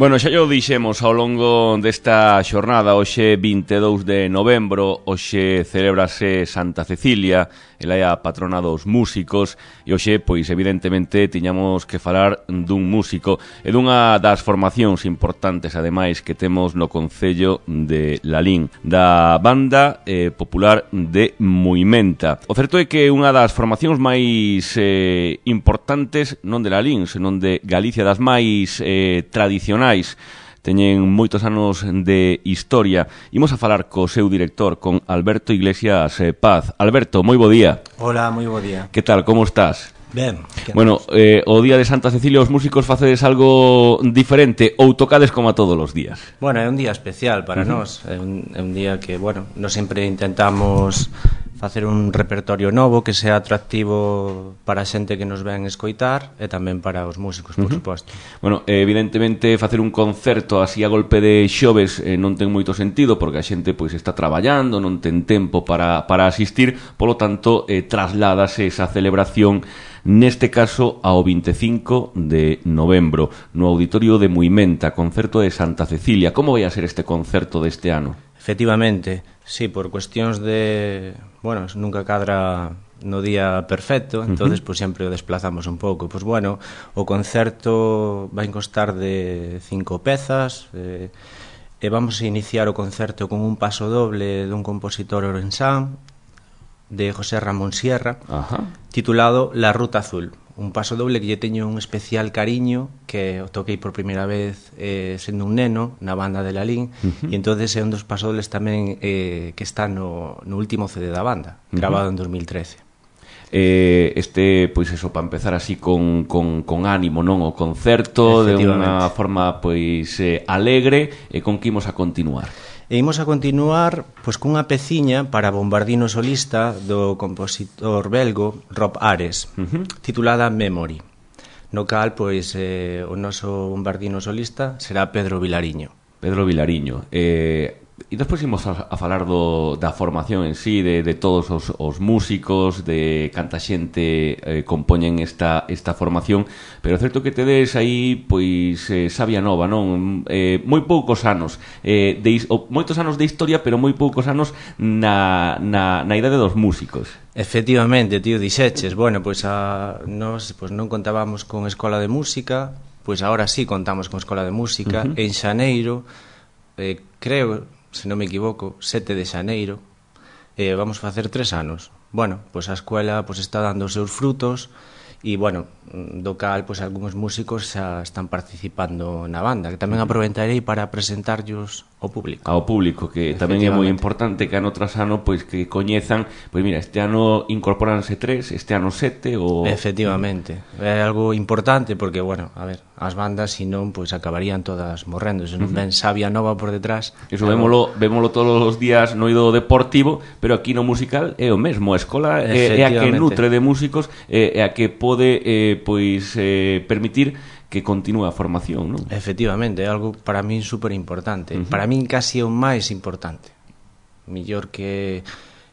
Bueno, xa yo dixemos ao longo desta xornada, hoxe 22 de novembro, hoxe celebrase Santa Cecilia, ela é a patrona dos músicos, e hoxe, pois, evidentemente, tiñamos que falar dun músico e dunha das formacións importantes, ademais, que temos no concello de Lalín, da banda popular de Muimenta. O certo é que unha das formacións máis importantes, non de Lalín, senón de Galicia, das máis tradicionais, teñen moitos anos de historia. Imos a falar co seu director, con Alberto Iglesias Paz. Alberto, moi bo día. Hola, moi bo día. Que tal, como estás? Ben. Bueno, o día de Santa Cecilia os músicos facedes algo diferente ou tocades como a todos os días? Bueno, é un día especial para nós. É un día que, bueno, nós sempre intentamos facer un repertorio novo que sea atractivo para a xente que nos ven escoitar e tamén para os músicos, por suposto. Bueno, evidentemente facer un concerto así a golpe de xoves non ten moito sentido porque a xente pois está traballando, non ten tempo para asistir, polo tanto trasládase esa celebración neste caso ao 25 de novembro no Auditorio de Muimenta, concerto de Santa Cecilia. Como vai a ser este concerto deste ano? Efectivamente, sí, por cuestións de... Bueno, nunca cadra no día perfecto, entonces pues sempre o desplazamos un pouco. Pois bueno, o concerto vai constar de 5 pezas e vamos a iniciar o concerto con un paso doble dun compositor orensán de José Ramón Sierra, titulado La Ruta Azul. Un paso doble que lle teño un especial cariño, que o toquei por primeira vez sendo un neno na banda de Lalín, e entonces é un dos pasodobles tamén que está no último CD da banda, grabado en 2013. Pois eso, para empezar así con ánimo, non? O concerto de unha forma pois alegre, e con que imos a continuar? E imos a continuar pois cunha peciña para bombardino solista do compositor belgo Rob Ares, titulada Memory, no cal pois o noso bombardino solista será Pedro Vilariño. Pedro Vilariño. E despois imos a falar da formación en sí, de todos os músicos, de canta xente compoñen esta formación, pero é certo que tedes aí pois sabia nova, non? Moi poucos anos, moitos anos de historia, pero moi poucos anos na idade dos músicos. Efectivamente, tío, dixeches, bueno, pois nós non contábamos con escola de música, pois agora sí contamos con escola de música. En xaneiro, creo, se non me equivoco, 7 de xaneiro, vamos facer 3 anos. Bueno, pois a escola pois está dando os seus frutos e, bueno, do cal pois algúns músicos xa están participando na banda, que tamén aproveitarei para presentarllos ao público. Ao público, que tamén é moi importante que ano tras ano pois que coñezan, pois mira, este ano incorporanse 3, este ano 7 ou... Efectivamente, é algo importante porque, bueno, a ver, as bandas senón pois acabarían todas morrendo, se non ven sabia nova por detrás. Eso vémolo todos os días no eido deportivo, pero aquí no musical é o mesmo, a escola é a que nutre de músicos, é a que pode pois permitir que continúe a formación, non? Efectivamente, é algo para min super importante. Para min casi é o máis importante. Millor que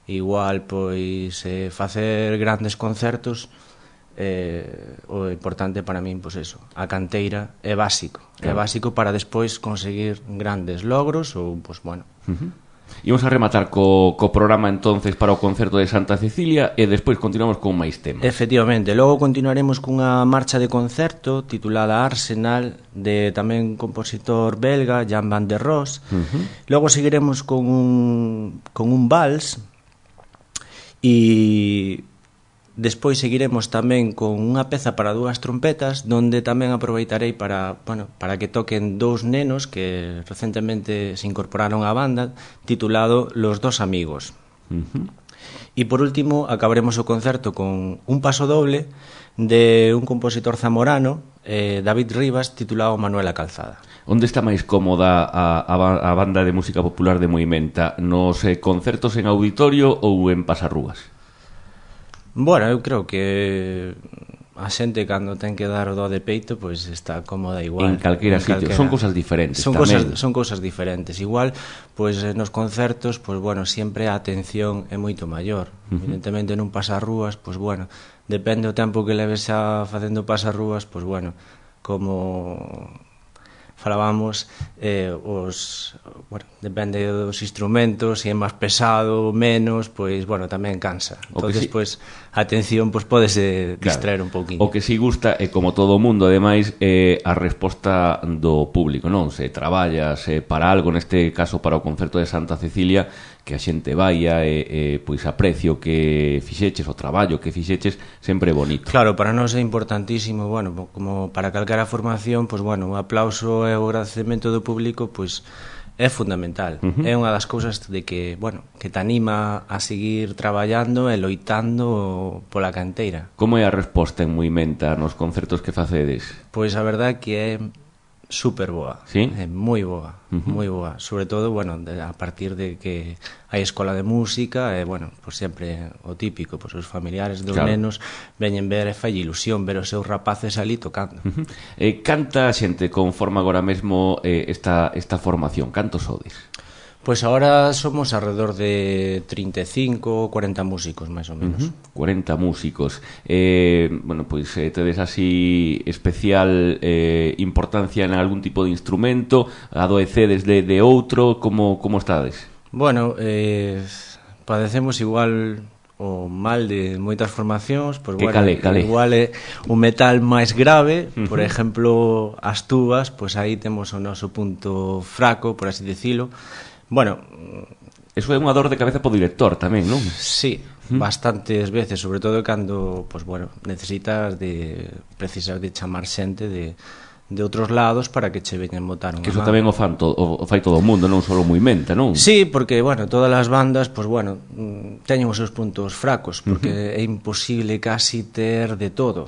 igual pois facer grandes concertos, o importante para min pois eso, a canteira é básico. É básico para despois conseguir grandes logros ou pois bueno. Imos a rematar co programa entonces para o concerto de Santa Cecilia e despois continuamos con máis temas. Efectivamente, logo continuaremos cunha marcha de concerto titulada Arsenal, de tamén compositor belga Jan van der Roos. Logo seguiremos con un vals e despois seguiremos tamén con unha peza para 2 trompetas, donde tamén aproveitarei para que toquen 2 nenos que recentemente se incorporaron á banda, titulado Los Dos Amigos. E por último acabaremos o concerto con un paso doble de un compositor zamorano, David Rivas, titulado Manuela Calzada. Onde está máis cómoda a banda de música popular de Muimenta? Nos concertos en auditorio ou en pasarrúas? Bueno, eu creo que a xente cando ten que dar o do de peito pois está cómoda igual. En calquera sitio, son cousas diferentes. Son cousas diferentes. Igual, pois nos concertos, pois bueno, sempre a atención é moito maior. Evidentemente nun pasarrúas, pois bueno, depende o tempo que leves xa facendo pasarrúas, pois bueno, como falábamos, bueno, depende dos instrumentos, se é máis pesado, menos, pois, bueno, tamén cansa. Entonces, pois, a atención, pois, podese distraer un pouquinho. O que si gusta, e como todo o mundo, ademais, a resposta do público, non? Se traballas para algo, neste caso para o concerto de Santa Cecilia, que a xente vaia e pois aprecio que fixeches, o traballo que fixeches, sempre é bonito. Claro, para nós é importantísimo, bueno, como para calquera formación, pois, bueno, o aplauso e o agradecemento do público, pois, é fundamental. É unha das cousas de que, bueno, que te anima a seguir traballando e loitando pola canteira. Como é a resposta en Muimenta nos concertos que facedes? Pois a verdade que é super boa, ¿sí? É moi boa, moi boa, sobre todo, bueno, a partir de que hai escola de música e, bueno, pues sempre o típico, pues os familiares dos nenos veñen ver e fai ilusión ver os seus rapaces ali tocando. Canta xente conforma agora mesmo esta formación, cantos sodes? Pois agora somos alrededor de 35 ou 40 músicos, máis ou menos. 40 músicos. Bueno, pois tedes así especial importancia en algún tipo de instrumento, adoecedes de outro, como estades? Bueno, padecemos igual o mal de moitas formacións, pois, bueno, cale. Igual é un metal máis grave, por exemplo, as tubas, pois aí temos o noso punto fraco, por así dicilo. Bueno, eso é unha dor de cabeza po director tamén, non? Sí, bastantes veces, sobre todo cando, pues bueno, precisas de chamar xente de outros lados para que che veñan botar unha que eso tamén o fai todo o mundo, non só o Muimenta, non? Sí, porque, bueno, todas as bandas, pues bueno, teñen os seus puntos fracos, porque é imposible casi ter de todo.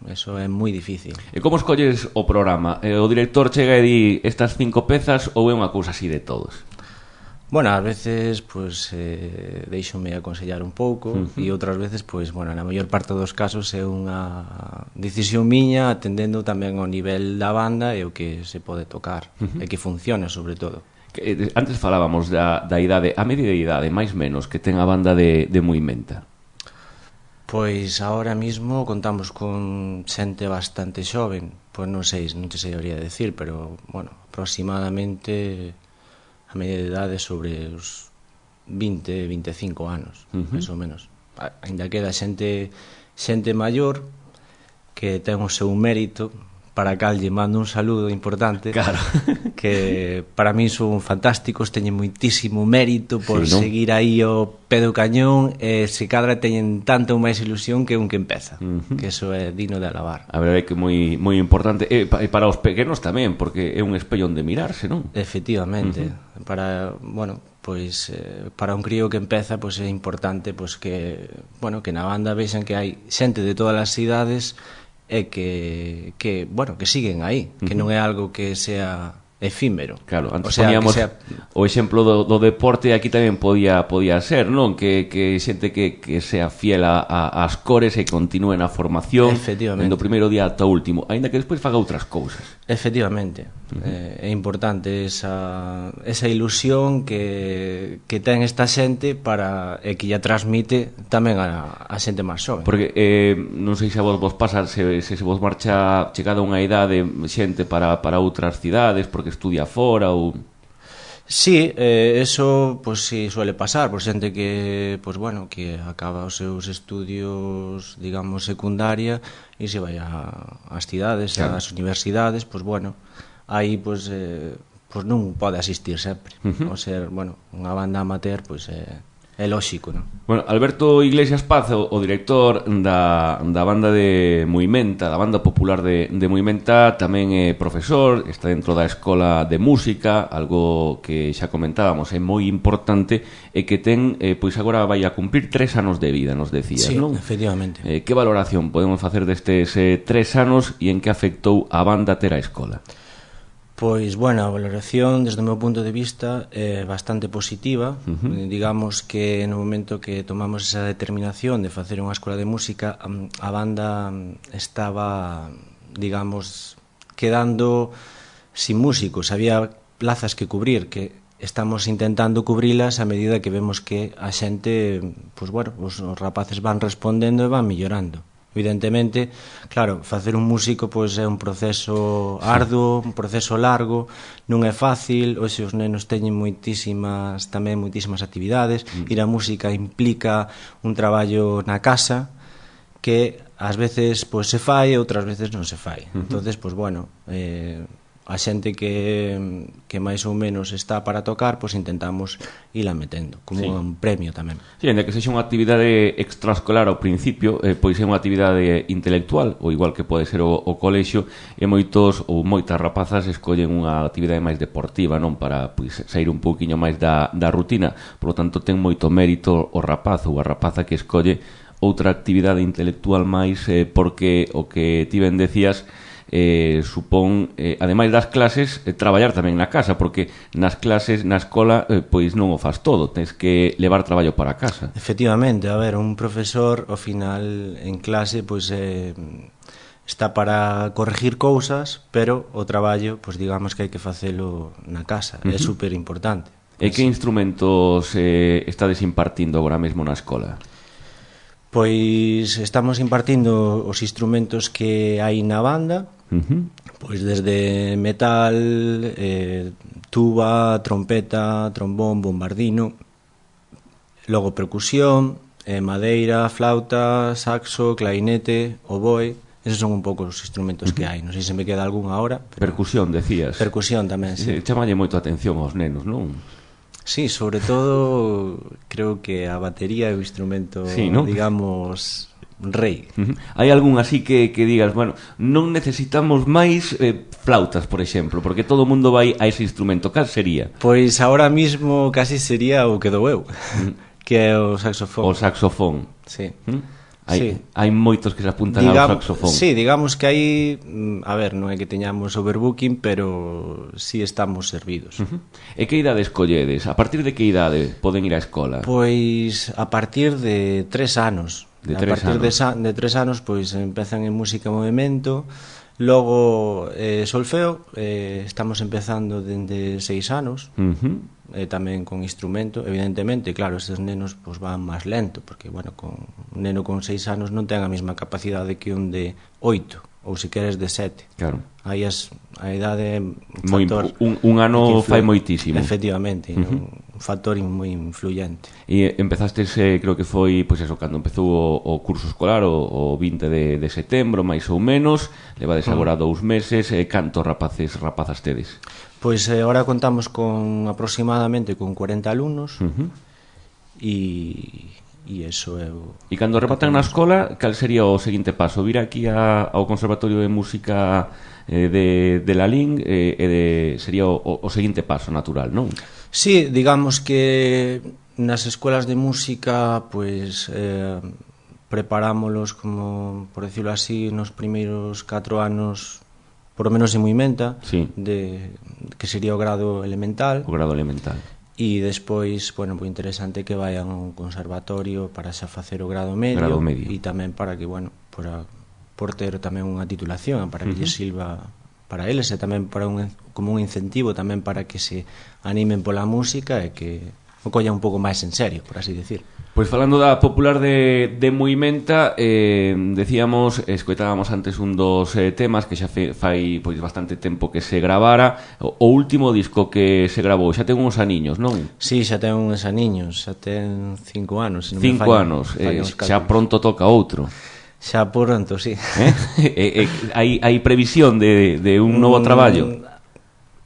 Eso é moi difícil. E como escolles o programa? O director chega e di estas 5 pezas ou é unha cousa así de todos? Bueno, ás veces, pues, deixome aconsellar un pouco e outras veces, pues, bueno, na maior parte dos casos é unha decisión miña atendendo tamén ao nivel da banda e o que se pode tocar e que funcione, sobre todo. Antes falábamos da idade, a medida de idade, máis menos, que ten a banda de Muimenta. Pois ahora mismo contamos con xente bastante xoven, pois non te sei habría de decir, pero, bueno, aproximadamente a media de idade sobre os 20, 25 anos, máis ou menos. Ainda queda xente maior que ten o seu mérito, para cal lle mando un saludo importante, claro, que para mí son fantásticos, teñen moitísimo mérito por seguir aí ao pé do cañón e se cadra teñen tanta ou máis ilusión que un que empeza, que eso é digno de alabar. A verdade é que moi importante e para os pequenos tamén, porque é un espello onde mirarse, non? Efectivamente, para, bueno, pois para un crío que empeza, pois é importante pois que, bueno, que na banda vexan que hai xente de todas as idades e que bueno, que siguen aí, que non é algo que sea efímero. Claro, antes poníamos o exemplo do deporte, aquí tamén podía ser, non? Que xente que sea fiel ás cores e continúe na formación do primeiro día ata o último, aínda que despois faga outras cousas. Efectivamente, é importante esa ilusión que ten esta xente e que lla transmite tamén a xente máis xoven. Porque non sei se a vos pasa, se vos marcha chegada a unha idade xente para outras cidades porque estudia fora ou... Sí, eso pues sí suele pasar por xente que, pues bueno, que acaba os seus estudios, digamos, secundaria e se vai ás cidades, ás universidades, pues bueno, aí pues non pode asistir sempre. O ser, bueno, unha banda amateur, pues é lóxico, non? Bueno, Alberto Iglesias Paz, o director da banda de Muimenta, da banda popular de Muimenta, tamén é profesor, está dentro da escola de música, algo que xa comentábamos, é moi importante e que ten, pois agora vai a cumprir 3 anos de vida, nos decías, non? Sí, efectivamente. Que valoración podemos facer destes 3 anos e en que afectou a banda ter a escola? Pois, bueno, a valoración desde o meu punto de vista é bastante positiva. Digamos que no momento que tomamos esa determinación de facer unha escola de música, a banda estaba, digamos, quedando sin músicos, había plazas que cubrir, que estamos intentando cubrilas a medida que vemos que a xente, pois bueno, os rapaces van respondendo e van millorando. Evidentemente, claro, facer un músico pois é un proceso arduo, un proceso largo, non é fácil, hoxe os nenos teñen moitísimas actividades, ir á música implica un traballo na casa que ás veces pois se fai e outras veces non se fai. Entonces, pois bueno, a xente que máis ou menos está para tocar, pois intentamos ila metendo como un premio tamén. Sí, ainda que sexa unha actividade extraescolar ao principio, pois é unha actividade intelectual, ou igual que pode ser o colexio, e moitos ou moitas rapazas escollen unha actividade máis deportiva, non, para pois sair un pouquiño máis da rutina. Por lo tanto, ten moito mérito o rapaz ou a rapaza que escolle outra actividade intelectual máis, porque o que ti ben decías, supón, ademais das clases, traballar tamén na casa, porque nas clases, na escola, pois non o faz todo, tens que levar traballo para casa. Efectivamente, a ver, un profesor ao final en clase pois está para corregir cousas, pero o traballo, pois digamos que hai que facelo na casa, é super importante. E que instrumentos estades impartindo agora mesmo na escola? Pois estamos impartindo os instrumentos que hai na banda, pois desde metal, tuba, trompeta, trombón, bombardino, logo percusión, madeira, flauta, saxo, clarinete, oboe. Esos son un pouco os instrumentos que hai. Non sei se me queda algún agora. Percusión, decías. Percusión tamén, sí. Chamalle moito a atención aos nenos, non? Sí, sobre todo creo que a batería é o instrumento, sí, ¿no? Digamos, rei. Hai algún así que digas, bueno, non necesitamos máis flautas, por exemplo, porque todo o mundo vai a ese instrumento. Cal sería? Pois ahora mismo casi sería o que dou eu, que é o saxofón. O saxofón. Sí. Hai moitos que se apuntan ao saxofón. Sí, digamos que hai, a ver, non é que teñamos overbooking, pero sí estamos servidos. E que idade escolledes? A partir de que idade poden ir á escola? Pois a partir de 3 anos. De 3 anos. De 3 anos pois empezan en música e movimento, logo solfeo, estamos empezando dende 6 anos. Tamén con instrumento, evidentemente, claro, estes nenos pois van máis lento, porque, bueno, un neno con 6 anos non ten a mesma capacidade que un de 8, ou se queres de 7. Claro. Aí a idade é un factor... Un ano fai moitísimo. Efectivamente, un factor moi influyente. E empezastes, creo que foi, pois eso, cando empezou o curso escolar, o 20 de setembro, máis ou menos, levades agora 2 meses, cantos rapazas tedes? Pois agora contamos con aproximadamente con 40 alumnos e eso é o... E cando rematan na escola, cal sería o seguinte paso? Vir aquí ao Conservatorio de Música de Lalín sería o seguinte paso natural, non? Sí, digamos que nas escolas de música pois preparámolos como, por decirlo así, nos primeiros 4 anos, por lo menos en Muimenta, sí, que sería o grado elemental. O grado elemental. E despois, bueno, pues interesante que vayan a un conservatorio para xa facer o grado medio. E tamén para que, bueno, por ter tamén unha titulación, para que lles sirva para eles e tamén para como un incentivo tamén para que se animen pola música e que o collan un pouco máis en serio, por así decir. Pois falando da popular de Muimenta, decíamos, escoitábamos antes un dos temas que xa fai pois bastante tempo que se gravara. O último disco que se gravou xa ten uns aniños, non? Sí, xa ten uns aniños, xa ten 5 anos. 5 anos, xa pronto toca outro. Xa pronto, sí. Hai previsión de un novo traballo?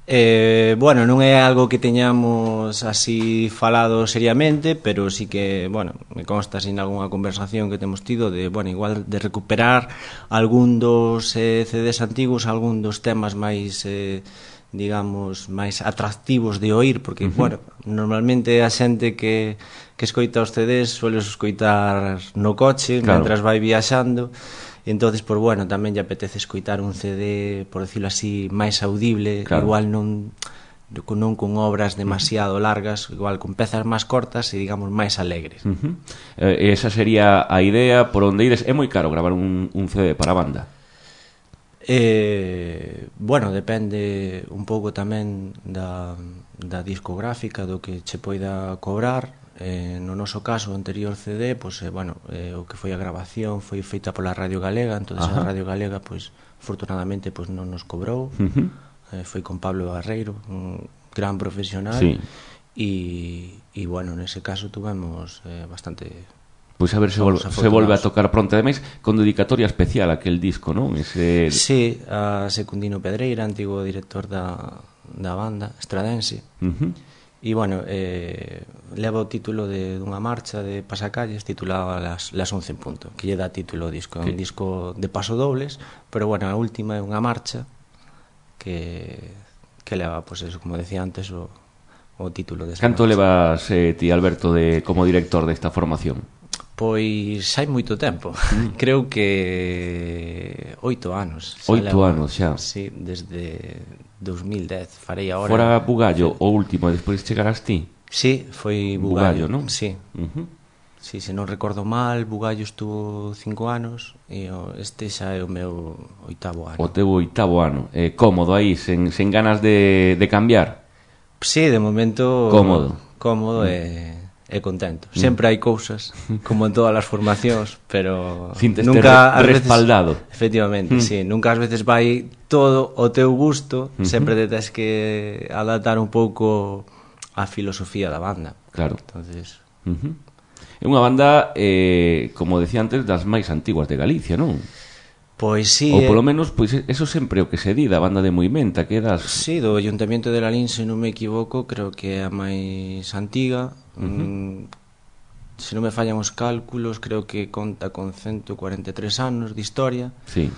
Bueno, non é algo que teñamos así falado seriamente, pero sí que, bueno, me consta sin algunha conversación que temos tido de, bueno, igual de recuperar algún dos CDs antigos, algún dos temas máis, digamos, máis atractivos de oír, porque, bueno, normalmente a xente que escoita os CDs suele escoitar no coche, claro, mentras vai viaxando. Entonces, pues bueno, tamén lle apetece escoitar un CD, por decirlo así, máis audible, claro, igual non con obras demasiado largas, igual con pezas máis cortas e, digamos, máis alegres. Esa sería a idea por onde ides. É moi caro gravar un CD para a banda? Bueno, depende un pouco tamén da discográfica, do que che poida cobrar. no noso caso, o anterior CD, pois, bueno, o que foi a grabación foi feita pola Radio Galega, entón a Radio Galega, pois, afortunadamente, pois non nos cobrou. Foi con Pablo Barreiro, un gran profesional. Sí. E, bueno, nese caso tuvemos bastante... Pois a ver se volve a tocar pronto. Ademais, con dedicatoria especial aquel disco, non? Sí, a Secundino Pedreira, antigo director da banda estradense. E, bueno, leva o título dunha marcha de Pasacalles titulada Las 11 en punto, que lle dá título ao disco. É un disco de pasodobles, pero, bueno, a última é unha marcha que leva, pois, eso, como decía antes, o título desa marcha. Canto levas ti, Alberto, como director desta formación? Pois hai moito tempo. Creo que 8 anos. 8 anos xa. Sí, desde 2010 farei agora. Fora Bugallo o último, despois chegarás ti? Sí, foi Bugallo, non? Sí. Sí, se non recordo mal, Bugallo estuvo 5 anos e este xa é o meu 8º ano. O teu 8º ano. Cómodo aí, sen ganas de cambiar? Sí, de momento cómodo e contento. Sempre hai cousas, como en todas as formacións, pero nunca respaldado. Efectivamente, sí, nunca ás veces vai todo o teu gusto, sempre te tens que adaptar un pouco a filosofía da banda. Claro. Entonces, é unha banda, como decía antes, das máis antiguas de Galicia, non? Pois sí. Ou polo menos, pois eso sempre o que se di da banda de Moimenta, que das... Sí, do Ayuntamiento de Lalín, se non me equivoco, creo que é a máis antiga. Se non me fallan os cálculos, creo que conta con 143 anos de historia. Sí.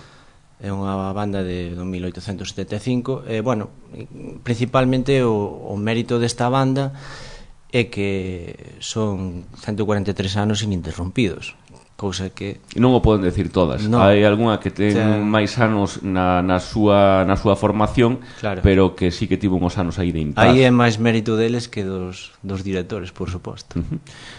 É unha banda de 1875. Bueno, principalmente o mérito desta banda é que son 143 anos ininterrompidos. Cousa que... Non o poden decir todas. Hai algunha que ten máis anos na súa formación, pero que sí que tivo uns anos aí de impas. Aí é máis mérito deles que dos directores, por suposto.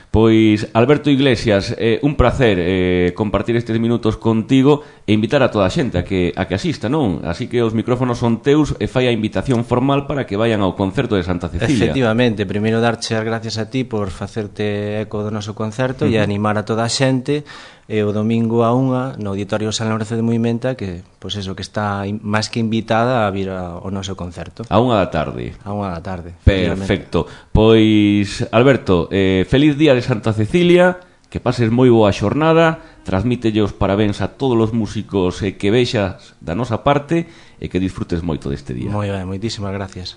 Pois, Alberto Iglesias, un placer compartir estes minutos contigo e invitar a toda a xente a que asista, non? Así que os micrófonos son teus e fai a invitación formal para que vayan ao concerto de Santa Cecilia. Efectivamente, primeiro darche as gracias a ti por facerte eco do noso concerto e animar a toda a xente. E o domingo a 1 no Auditorio San Lorenzo de Moimenta, que, pois eso, que está máis que invitada a vir ao noso concerto. A 1 da tarde. A 1 da tarde. Perfecto. Pois, Alberto, feliz día de Santa Cecilia, que pases moi boa xornada, transmítelle os parabéns a todos os músicos que vexas da nosa parte e que disfrutes moito deste día. Moi ben, moitísimas gracias.